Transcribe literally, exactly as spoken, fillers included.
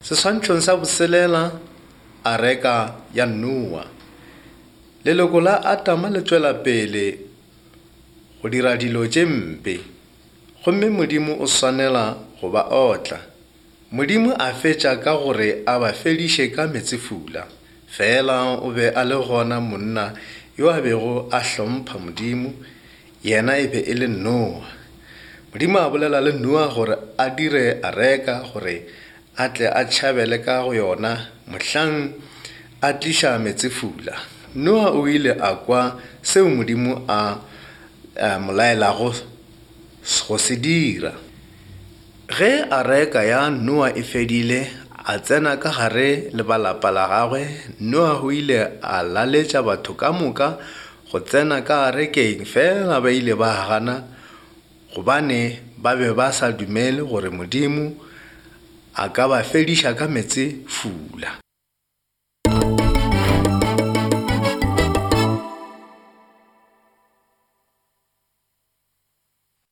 Seswantšhong sa boselela, areka ya Noa. Leloko la Adama le tšwela pele go dira dilo tše mpe, gomme Modimo o swanela go ba otla. Modimo a fetša ka gore a ba fediše ka meetsefula. Fela o be a le gona monna yo a bego a hlompha Modimo, yena e be e le Noa. Modimo a bolela le Noa gore a dire areka gore a tle a tšhabele ka go yona mohlang a tliša meetsefula. Noa o ile a kwa seo Modimo a, a mo laelago go se dira. Ge areka ya Noa e fedile, a tsena ka gare le ba lapa la gagwe. Noa o ile a laletša batho ka moka go tsena ka arekeng, fela ba ile ba gana gobane ba be ba sa dumele gore Modimo a ka ba fediša ka meetsefula.